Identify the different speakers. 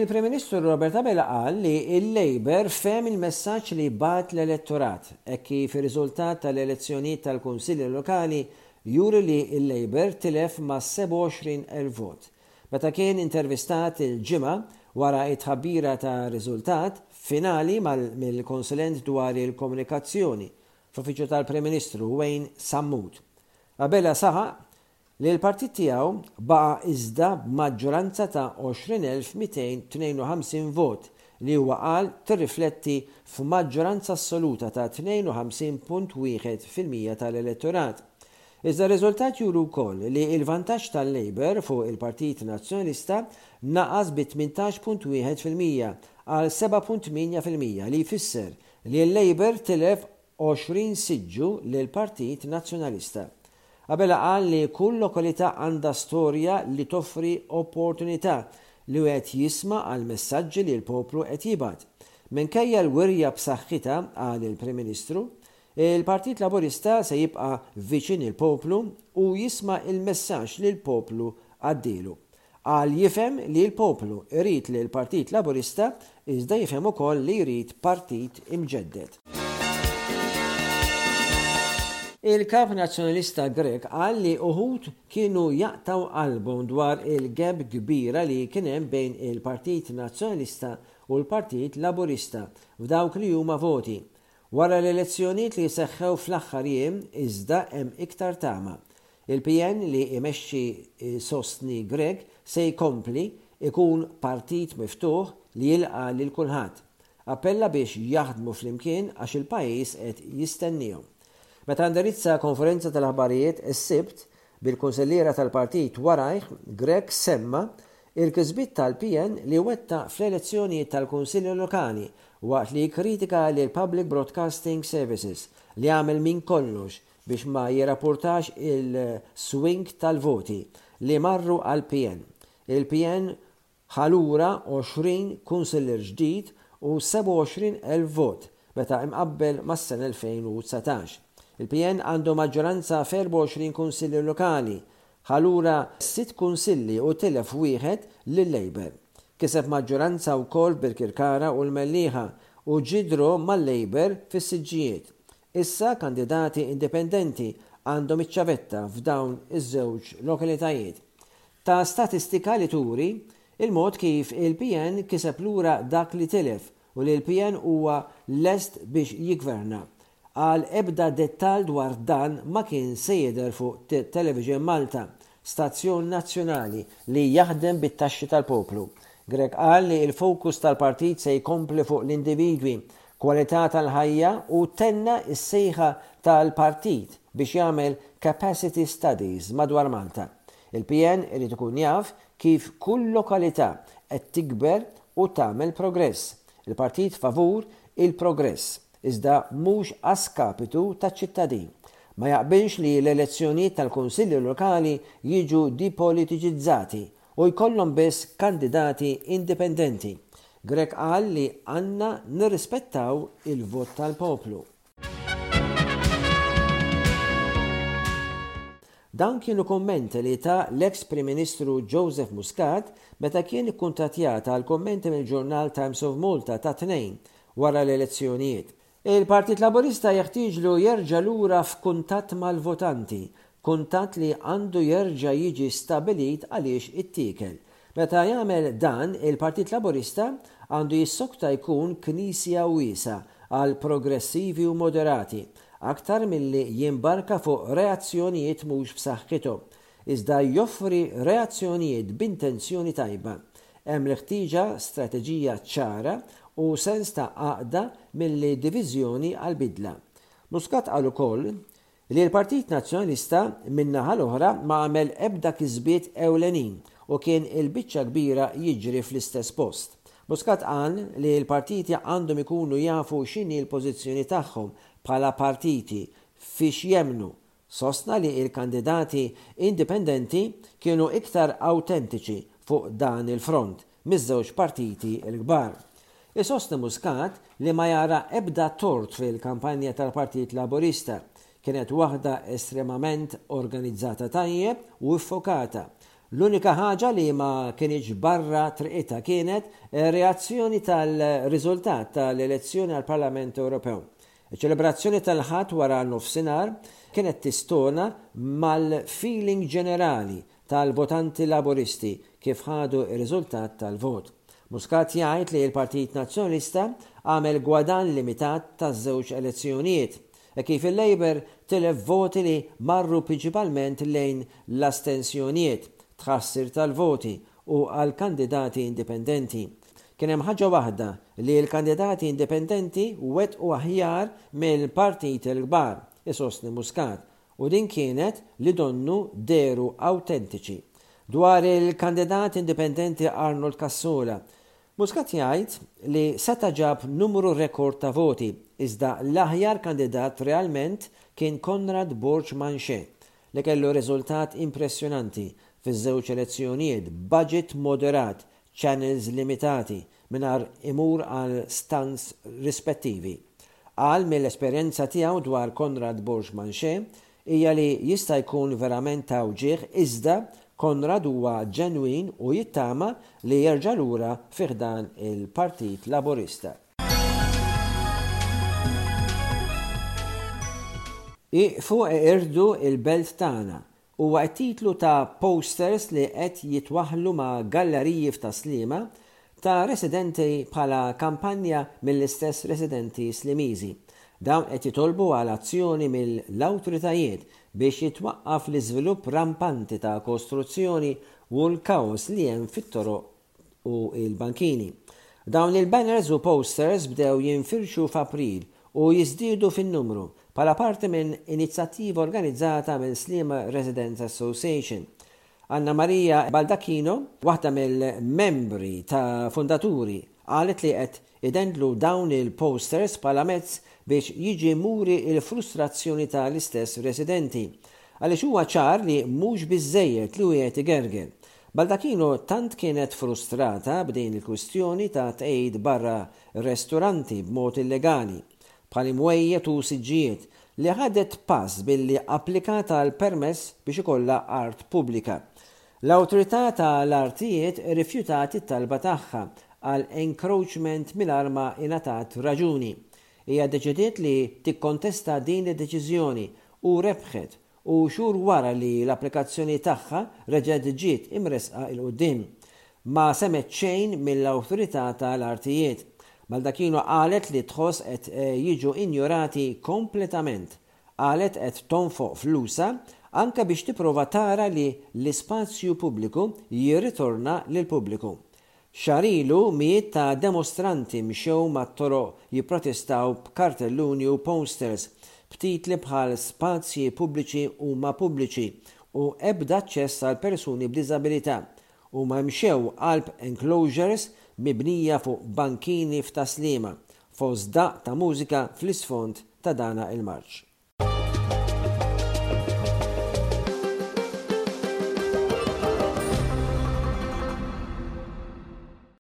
Speaker 1: Il-Prim Ministru Robert Abela qal li l-Labour fehem il-messaġġ li bagħat l-elettorat, hekk kif ir-riżultat tal-elezzjonijiet tal-Kunsilli Lokali juri li l-Labour tilef mas-27,000 vot. Meta kien intervistat il-Ġimgħa wara t-tħabbira tar-riżultat finali mill-Konsulent dwar il-Komunikazzjoni fl-Uffiċċju tal-Prim Ministru Wayne Sammut, Abela saħaq li l-partit tiegħu baqa' iżda b'maġġoranza ta' 20,252 vot li huwa qal tirrifletti f'maġġoranza assoluta ta' 52.1% tal-elettorat. Iżda r-riżultat juru wkoll li l-vantaġġ tal-Labour fuq il-Partit Nazzjonalista naqas bi 18.1% għal 7.8% li jfisser li l-Labour tilef 20 siġġu lill-Partit Nazzjonalista. Abela qal li kull lokalità għandha storja li toffri opportunità li wieħed jisma' għall-messaġġi li l-poplu qed jibgħat. Minkejja l-wirja b'saħħitha, qal il-Prim Ministru, il-Partit Laburista se jibqa' viċin il-poplu u jisma' l-messaġġ li l-poplu għaddielu. Qal jifhem li l-poplu jrid lill-Partit Laburista iżda jifhem ukoll li jrid partit imġedded. Il-Kap Nazzjonalista Grech qal li uħud kienu jaqtgħu qalbhom dwar il-gap kbira li kien hemm bejn il-Partit Nazzjonalista u l-Partit Laburista f'dawk li huma voti. Wara l-elezzjonijiet li seħħew fl-aħħar jiem iżda hemm iktar tama. Il-PN li imexxi jsostni Grech se jkompli ikun partit miftuħ li jilqa' lil kulħadd. Appella biex jaħdmu flimkien għax il-pajjiż qed jistenniehom. Meta indirizza konferenza tal-aħbarijiet is-Sibt, bil-kunsilliera tal-partit warajh, Grech semma l-kisbiet tal-PN li wettaq fl-elezzjonijiet tal-Kunsilli Lokali waqt li kkritika lill-Public Broadcasting Services li għamel minn kollox biex ma jirrapportax il-swing tal-voti li marru għall-PN. Il-PN Ħa lura 20 kunsillier ġdid u 27,000 vot meta imqabbel mas-sena 2019. Il-PN għandu maġġoranza f'24 kunsillier lokali. Ħa lura sitt kunsilli u tilef wieħed lil-Labour. Kiseb maġġoranza wkoll f'Birkirkara u l-Mellieħa u ġie draw mal-Labour fis-siġġijiet. Issa kandidati indipendenti għandhom iċ-ċavetta f'dawn iż-żewġ lokalitajiet. Ta statistika li turi il-mod kif il-PN kiseb lura dak li tilef u li l-PN huwa lest biex jiggverna. Qal ebda dettall dwar dan ma kien se jidher fuq Television Malta, stazzjon nazzjonali li jaħdem bit-taxxi tal-poplu. Grech qal li l-fokus tal-partit se jkompli fuq l-individwi, kwalità tal-ħajja u tenna s-sejħa tal-partit biex jagħmel capacity studies madwar Malta. Il-PN irid ikun jaf kif kull lokalità qed tikber u tagħmel progress. Il-partit favur il-progress, iżda mhux a skapitu taċ-ċittadin. Ma jaqbilx li l-elezzjonijiet tal-Kunsilli Lokali jiġu dipolitiċizzati u jkollhom biss kandidati indipendenti. Grech qal li għandna nirrispettaw il-vot tal-poplu. Dawn kienu kummenti li ta l-eks Prim Ministru Joseph Muscat meta kien ikkuntattjat għal kummenti mill-ġurnal Times of Malta tat-Tnejn wara l-elezzjonijiet. Il-Partit Laburista jeħtieġlu jerġa' lura f'kuntatt mal-votanti, kuntatt li għandu jerġa' jiġi stabbilit għaliex ittiekel. Meta jagħmel dan, il-Partit Laburista għandu jissokta jkun knisja wiesgħa għal progressivi u moderati, aktar milli jimbarka fuq reazzjonijiet mhux b'saħħithom, iżda joffri reazzjonijiet b'intenzjoni tajba. Hemm l-ħtieġa strateġija ċara u sens ta' għaqda milli diviżjoni għall-bidla. Muscat qal ukoll li l-Partit Nazzjonalista min-naħa l-oħra ma għamel ebda kisbiet ewlenin u kien il-biċċa kbira jiġri fl-istess post. Muscat qal li l-partiti għandhom ikunu jafu x'inhi l-pożizzjoni tagħhom bħala partiti, fiex jemmnu. Sostna li l-kandidati indipendenti kienu iktar awtentiċi fuq dan il-front miż-żewġ partiti l-kbar. Isostni Muscat li ma jara ebda tort fil-kampanja tal-Partit Laburista. Kienet waħda estremament organizzata tajjeb u iffokata. L-unika ħaġa li ma kinitx barra triqitha kienet ir-reazzjoni tal-riżultat tal-elezzjoni għall-Parlament Ewropew. Iċ-ċelebrazzjoni tal-Ħadd wara nofsinhar kienet tistona mal-feeling ġenerali tal-votanti Laburisti kif ħadu r-riżultat tal-vot. Muscat jgħid li l-Partit Nazzjonalista għamel gwadann limitat taż-żewġ elezzjonijiet, hekk kif il-Labour tilef voti li marru prinċipalment lejn l-astensjonijiet, tħassir tal-voti u għall-kandidati indipendenti. Kien hemm ħaġa waħda li l-kandidati indipendenti wettqu aħjar mill-partiti l-kbar, isostni Muscat, u din kienet li donnu dehru awtentiċi. Dwar il-kandidat indipendenti Arnold Cassola, Muscat jgħid li seta' ġab numru rekord ta' voti, iżda l-aħjar kandidat realment kien Conrad Borg Manché, li kellu riżultat impressjonanti fiż-żewġ elezzjonijiet b'budget moderat, channels limitati, mingħajr imur għal stunts rispettivi. Qal mill-esperjenza tiegħu dwar Conrad Borg Manché hija li jista' jkun verament ta' wġigħ iżda Conrad huwa ġenwin u jittama li jerġa' lura fi ħdan il-Partit Laburista. Ieqfu eqirdu l-belt tagħna Huwa t-titlu ta' posters li qed jitwaħħlu ma' galleriji f'Tas-Sliema ta' residenti bħala kampanja mill-istess residenti Slimiżi. Dawn qed jitolbu għal azzjoni mill-awtoritajiet biex jitwaqqaf l-iżvilupp rampanti ta' kostruzzjoni u l-kaos li hemm fit-toroq u l-bankini. Dawn il-banners u posters bdew jinfirxu f'April u jiżdiedu fin-numru bħala parti minn inizjattiva organizzata minn Sliema Residents Association. Anna Maria Baldacchino, waħda mill-membri ta' fundaturi, qalet li qed idendlu dawn il-posters bħala mezz biex jiġi muri l-frustrazzjoni ta' l-istess residenti. Għaliex huwa ċar li mhux biżżejjed li wieħed igerger. Baldacchino tant kienet frustrata b'din il-kwistjoni ta' tqegħid barra resturanti b'mod illegali, bħal imwejjed u siġġijiet, li ħadet pass billi applikat għal permess biex ikollha art pubblika. L-Awtorità ta' l-Artijiet irrifjutat it-talba tagħha għal encroachment mingħajr ma ingħatat raġuni. Hija ddeċidiet li tikkontesta din id-deċiżjoni u rebħet u xhur wara li l-applikazzjoni tagħha reġgħet ġiet imressqa 'l quddiem. Ma semgħet xejn mill-Awtorità ta' l-Artijiet. Baldacchino qalet li tħoss qed jiġu injorati kompletament. Qalet qed tonfoq flusha anke biex tipprova tara li l-ispazju pubbliku jirritorna lill-pubbliku. Xahar ilu mijiet ta' demostranti mxew mat-toroq jipprotestaw b'kartelluni u posters b'titli bħal Spazji pubbliċi huma pubbliċi u Ebda aċċess għal persuni b'diżabilità. Huma mxew qalb enclosures mibnija fuq bankini f'Tas-Sliema, fost daqq ta' mużika fl-isfond ta' dana il-marċ.